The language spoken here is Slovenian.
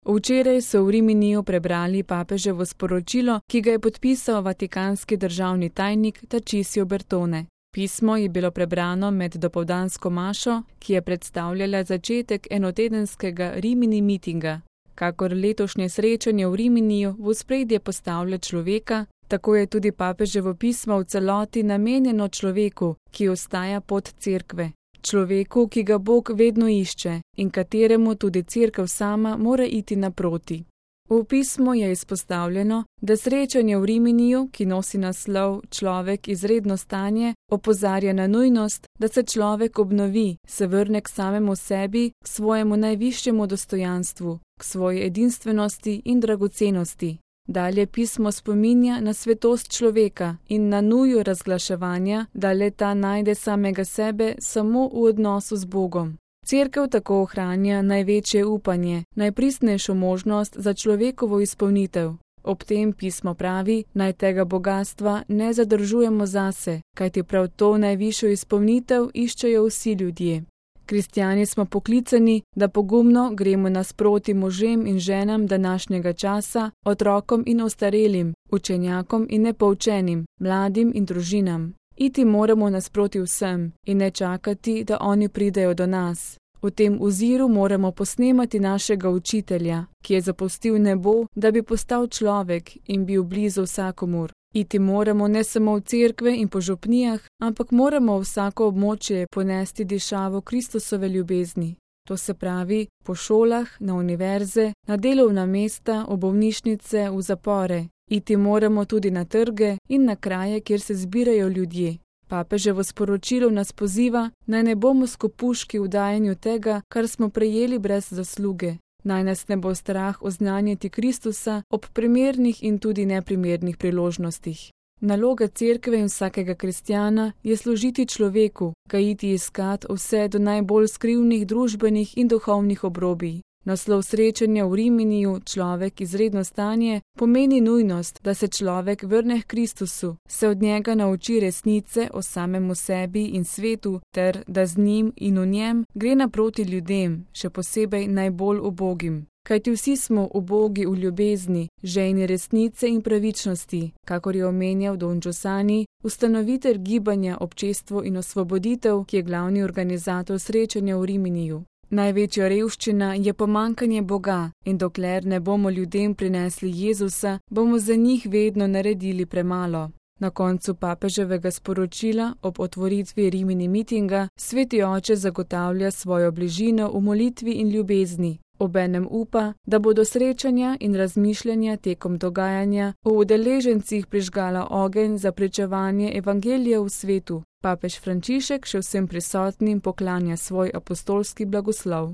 Včeraj so v Riminiju prebrali papeževo sporočilo, ki ga je podpisal vatikanski državni tajnik Tarcisio Bertone. Pismo je bilo prebrano med dopoldansko mašo, ki je predstavljala začetek enotedenskega Rimini mitinga. Kakor letošnje srečanje v Riminiju v ospredje postavlja človeka, tako je tudi papeževo pismo v celoti namenjeno človeku, ki ostaja pod cerkve. Človeku, ki ga Bog vedno išče in kateremu tudi cerkev sama mora iti naproti. V pismu je izpostavljeno, da srečanje v Riminiju, ki nosi naslov Človek izredno stanje, opozarja na nujnost, da se človek obnovi, se vrne k samemu sebi, k svojemu najvišjemu dostojanstvu, k svoji edinstvenosti in dragocenosti. Dalje pismo spominja na svetost človeka in na nujo razglaševanja, da le ta najde samega sebe samo v odnosu z Bogom. Cerkev tako ohranja največje upanje, najpristnejšo možnost za človekovo izpolnitev. Ob tem pismo pravi, naj tega bogastva ne zadržujemo zase, kajti prav to najvišjo izpolnitev iščejo vsi ljudje. Kristjani smo poklicani, da pogumno gremo nasproti možem in ženam današnjega časa, otrokom in ostarelim, učenjakom in nepoučenim, mladim in družinam. Iti moramo nasproti vsem in ne čakati, da oni pridejo do nas. V tem oziru moramo posnemati našega učitelja, ki je zapustil nebo, da bi postal človek in bil blizu vsakomur. Iti moramo ne samo v cerkve in po župnijah, ampak moramo vsako območje ponesti dišavo Kristusove ljubezni. To se pravi po šolah, na univerze, na delovna mesta, v bolnišnice, v zapore. Iti moramo tudi na trge in na kraje, kjer se zbirajo ljudje. Papeževo sporočilo nas poziva, naj ne bomo skopuški v dajanju tega, kar smo prejeli brez zasluge. Naj nas ne bo strah oznanjiti Kristusa ob primernih in tudi neprimernih priložnostih. Naloga cerkve in vsakega kristjana je služiti človeku, ga iti iskat vse do najbolj skrivnih družbenih in duhovnih obrobij. Naslov srečanja v Riminiju, Človek izredno stanje, pomeni nujnost, da se človek vrne k Kristusu, se od njega nauči resnice o samemu sebi in svetu, ter da z njim in v njem gre naproti ljudem, še posebej najbolj ubogim. Kajti vsi smo ubogi v ljubezni, žejni resnice in pravičnosti, kakor je omenjal Don Giussani, ustanovitelj gibanja Občestvo in osvoboditev, ki je glavni organizator srečanja v Riminiju. Največja revščina je pomankanje Boga in dokler ne bomo ljudem prinesli Jezusa, bomo za njih vedno naredili premalo. Na koncu papeževega sporočila ob otvoritvi Rimini mitinga Sveti Oče zagotavlja svojo bližino v molitvi in ljubezni. Obenem upa, da bodo srečanja in razmišljanja tekom dogajanja v udeležencih prižgala ogenj za pričevanje evangelija v svetu. Papež Frančišek še vsem prisotnim poklanja svoj apostolski blagoslov.